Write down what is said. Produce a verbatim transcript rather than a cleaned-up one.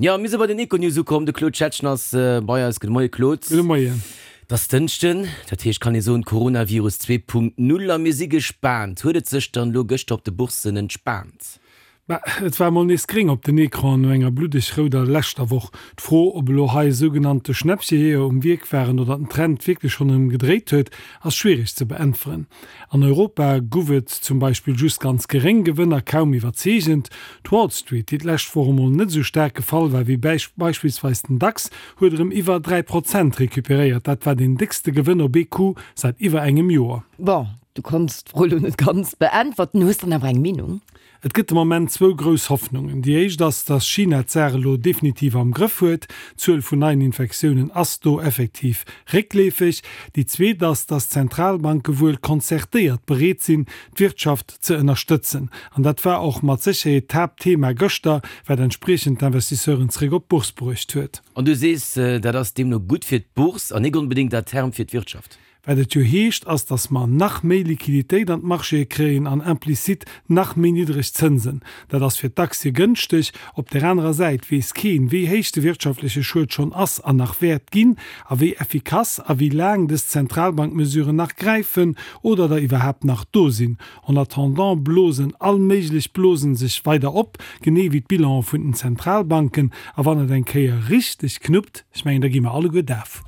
Jo, mir si bei den Econews ukomm. De Claude Schettgen ass bei eis. Gudde Moie Claude. Gudde Moien. Et ass Dënschden, dat heescht kann ee soen Coronavirus zwee Punkt null a mir si gespaant. Huet et sech dann elo gëschter op de Bourssen entspaant? Bah, et war emol nees gréng op den Ecranen no enger bluddeg rouder leschter Woch. D'Fro, ob elo hei sougenannte Schnäppchejeeër um Wierk waren oder den Trend wierklech schonn erëm gedréit huet, ass schwiereg ze beäntweren. An Europa guff et zum Beispill just ganz geréng Gewënner, kaum iwwerzeegend. D'Wall Street, déi d'lescht Woch emol net esou staark gefall war wéi beispillsweis den DAX, huet erëm iwwer dräi Prozent recuperéiert. Dat war deen déckste Gewënn op ee Coup säit iwwer engem Joer. Bon, du konns d'Fro elo net ganz beäntwerten, hues dann awer eng Meenung? Et gëtt de Moment zwou grouss Hoffnungen. Déi éischt ass, datt China d'Saach elo definitiv am Grëff huet. D'Zuel vun neien Infektiounen ass do effektiv réckleefeg. Déi zweet ass, datt d'Zentralbanke wuel konzertéiert bereet sinn, d'Wirtschaft ze ënnerstëtzen. An dat war och mat Sécherheet d'Haaptthema gëschter, wat entspriechend d'Investisseuren zeréck op d'Bourse bruecht huet. An du sees, dat ass deemno gutt fir d'Bourse an nik onbedéngt à terme fir d'Wirtschaft? Wat et jo heescht, ass, datt mer nach méi Liquiditéit an d'Marchéë kréien an implicitt nach méi niddreg Zënsen. Dat ass fir d'Aktie gënschteg. Op där anerer Säit weess keen, wéi héich de wirtschaftleche Schued schonn ass an nach wäert ginn a wéi effikass a wéi laang dës Zentralbankmesuren nach gräifen oder der iwwerhaapt nach do sinn. En attendant blosen all méiglech Blosen sech weider op, genee wéi d'Bilanen vun den Zentralbanken. A wann et eng Kéier richteg knuppt, ech mengen, da gi mer alleguer daf.